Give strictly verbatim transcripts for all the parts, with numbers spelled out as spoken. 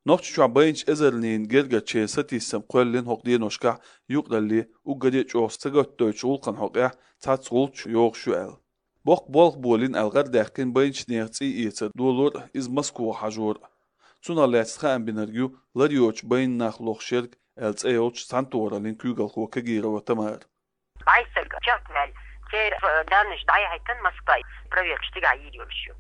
Нохчийчохь байначу эзарнийн гергарчеран сатийсам кхоьллина хӀокху деношкахь юкъаралле уггаре а чӀогӀа сагатдойтучу гӀуллакхан хьокъехь цхьацца гӀулч йогӀуш ю аьлла. Боккха болх болийна аьлла гӀарадаьккхина байначу нехан цӀий эцар долор а, иза Москвахь хьажор а. Цунах лаьцна хаам бинарг ю лар йоцучу байнийн нах лохуш ерг аьлла цӀе йолчу цхьаьнатохараллин куьйгалхо Кагирова Тамара. Бай стаг чекхваьлла, церан данныш дӀаяхьийтина Москва, проверка стигахь йийр йолуш ю.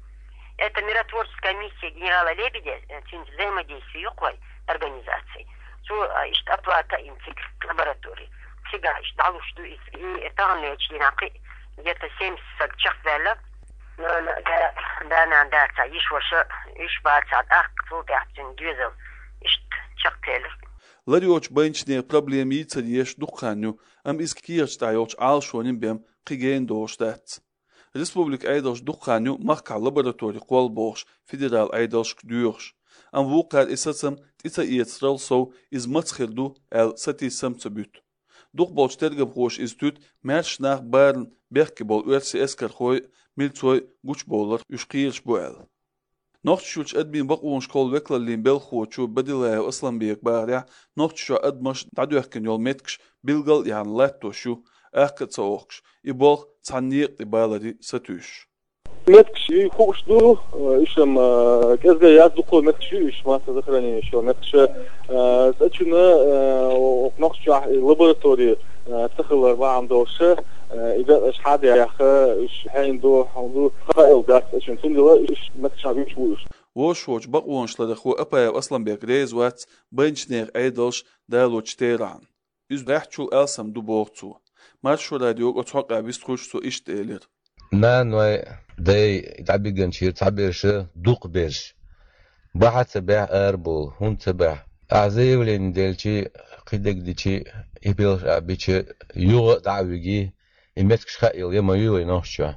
Это миротворческая миссия генерала Лебедя, э, цуьнца взаимодействие ю кху организаций. Цо, а, иштта оплата йина цига лаборатории. Цигахь иштта дӀалуш ду иза. И таханлерчу дийнахь кхин где-то семьдесят стаг чекхваьлла. Нана, да, да, нана дацахь, йиша-ваша, уьш бацахь, тӀаккха цул тӀаьхьа цуьнан доьзал иштта чекхъелира. Лар йоцучу байначу нехан проблема йийцар еш дукха хан ю, амма иза кехаташ тӀехь йолчу Ӏалашонийн бен кхин гена догӀуш дац. Республикан Ӏедалш дукха хан ю махкахь лаборатори кхолла бохуш, федералан Ӏедалшка доьхуш. Амма вукхара и сацам тӀе ца эцарал сов, иза маца хир ду аьлла, сатийсам а ца буьту. Дукхахболчу тергамхоша иза туьту маьрша нах барна бехке болу оьрсийн эскархой а, милцой а гучубовларх уьш кхераш бу аьлла. Нохчийчуьрчу адамийн бакъонашкахула векалаллин белхахочо Бадилаев Асланбека бахарехь, Нохчийчохь адамаш дӀадоьхкина йолу меттигаш билгал а яхьна латтош ю, акха а ца охкуш, и болх цхьана некъа тӀе баларе сатуьйсуш. Меттигаш и хууш ду, уьш-м, а, кӀезга яц, дукха меттигаш ю, уьш массовое захоронение ю меттигаш. А, цӀа чуьнан, а, оха Нохчийчохь и лаборатори, а, ца хилар бахьана долуш, а, и декъаш хьадаьхна, уьш хьенан ду, хьан ду, хаийла дац цӀа чуьнан. Цундела уьш меттигаш хьан вуьйцуш ву уьш. Вовшахволчу бакъонашларъярхо Апаев Асланбек реза вац байначу нехан Ӏедалш далочу терахьна. Иза баьхчул алсам ду, боху цо. Маршо радиога оцу хьокъехь вистхуьлуш цо иштта элира. Наной, дай дӀабигинчуьра цхьаберш, дукхахберш. Бахьа ца баьхьа арабовла, хӀунда ца баьхьа? Ахьа заявление делчи, кхидерг дичи, и белш а бича, юха а дӀа а виги, и меттигаш хаийла я ма юй вай Нохчийчохь.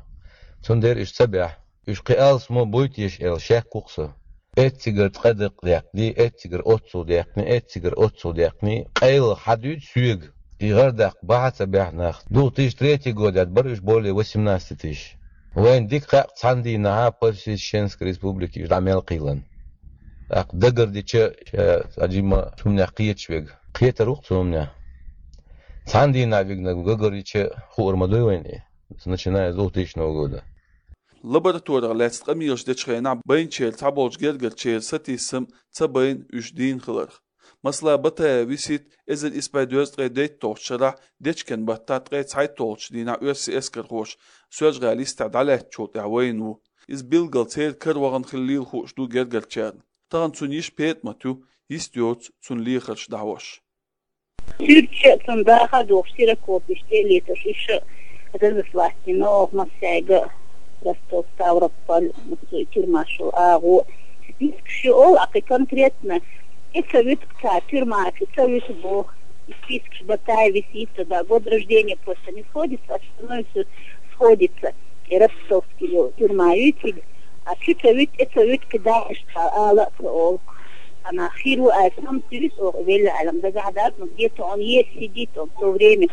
Цундела уьш ца баьхьа. Уьш кхин алсамо буй теша аьлла шек ву-кх со. Эццигара ткъа дакъа даьккхина, эццигара оццул даьккхина, эццигара оццул даьккхина, къайлаха хьан дуьйцу соьга? И гӀардаккха бахьа ца баьхьа нах. Две тысячи третий год яц, бара уьш более восемнадцати тысяч. Вайна дика хаьа цхьана дийнахьа по всей Чеченской Республике уьш дӀа мел кхийлина. ТӀаккха дагардича, ша цхьа жимма цу хӀуманех кхеташ верг. Кхетар ву-кх цу хӀуманех. Цхьана дийнахь вигнарг дагардича хуур ма дуй вайна и, начиная с двухтысячного года. Лабораторех лаьцна къамелаш дечу хенахь байначеран цхьаболчу гергарчеран сатийсам ца байна уьш дийна хиларх. Масала, Батаев Висита эзар исс бӀе дезткъе дейтталгӀачу шарахь дечкен баттахь ткъе цхьайтталгӀачу дийнахь оьрсийн эскархоша Соьлжа-ГӀалин йистехь дӀалаьцначул тӀаьхьа вайна ву. Иза билггал церан кара вахана хиллийла хууш ду гергарчарна. Тахана цуьнан йиша ПетӀамат ю, йист йоцу цуьнан лехарш дӀахьош. Суьрташ а, цуьнан дахар а дохуш, ксерокопеш тӀе а летош, уьш а разослать дина оха массаьрга а, Ростов, Ставрополь, массо а тюрьмаш йолу агӀо. Спискаш ю олу, а кхин конкретно и ца вуьту цара, тюрьмаш и ца вуьту боху. И спискаш Батаев Висита, да, год рождения просто не сходится, остальное всё сходится. И Ростовский йолу тюрьма ю цига. А чу ца вуьту, тӀе ца вуьту, кхин дагахь ала а ца олу. Ана хир ву аьлла, сам туьйсу оха велла аьлла, дагахь дац, но где-то он есть, сидит он в то время,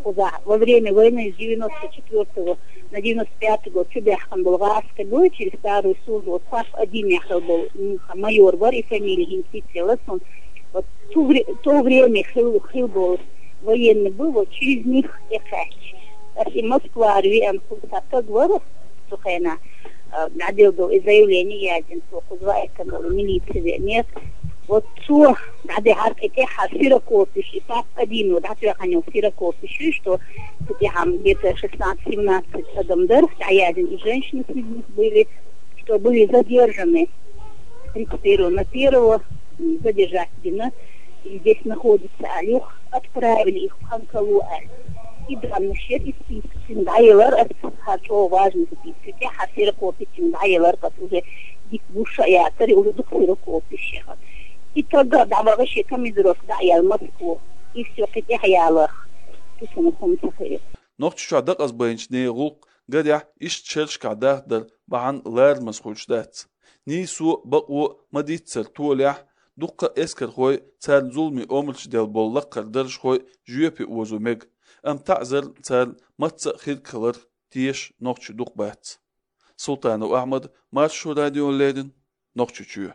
кхузахь, во время войны с девяносто четвёртого на девяносто пятый год чу баьхкина болу гӀазкхи бу, через старую службу, вот ПАП один яхал болу, м, майор вара, и фамилия хӀинца цӀе лац, он, вот ту вре-, то время хил, хил болу военный был, вот через них тӀекхаьчча. Ас и Москвара веана, кхуза стаг вара, цу хенахь, а, дӀаделла долу и заявление яздина, цо кхуза ваийтина долу милице веанера. Вот цо дӀадехьара кхин тӀаьххьара ксерокопеш, и ПАП один дӀатоьхна йолу ксерокопеш ю, что цу тӀехь где-то шестнадцать-семнадцать адам дара, дӀаяздина и женщины среди них были, что были задержаны тридцать первого на первого, м, задержать бина, и здесь находится, а юха отправили их в Ханкалу, а. И данный шер и список цуьнан дӀаелар ас, хӀара чӀогӀа важный список. ТӀехь хӀара ксерокопеш цуьнан дӀаелар ас, уже дика гуш а яцара, и уже дукха ксерокопеш яхара. И таггар дӀавахана шен командировка дӀа а яьлла Москву. И всё, кхин тӀаьхьа яларх. Цу цунах хӀума ца хилира. Нохчийчохь дакъазбайначу нехан гӀуллакх, гарехь, иштта шерашкахь дахдар бахьана ларамаза хуьлуш дац. Нийсо а, бакъо а ма-дийццара толехь, дуккха а эскархой, царна зуламе омрачу делла болу лаккхара даржхой жоьпе озо мега, амма таӀзарна царна мацца а хирг хиларх теша нохчий дукха бац. Султанов Ахьмад, Маршо радиона леррина, Нохчийчоь.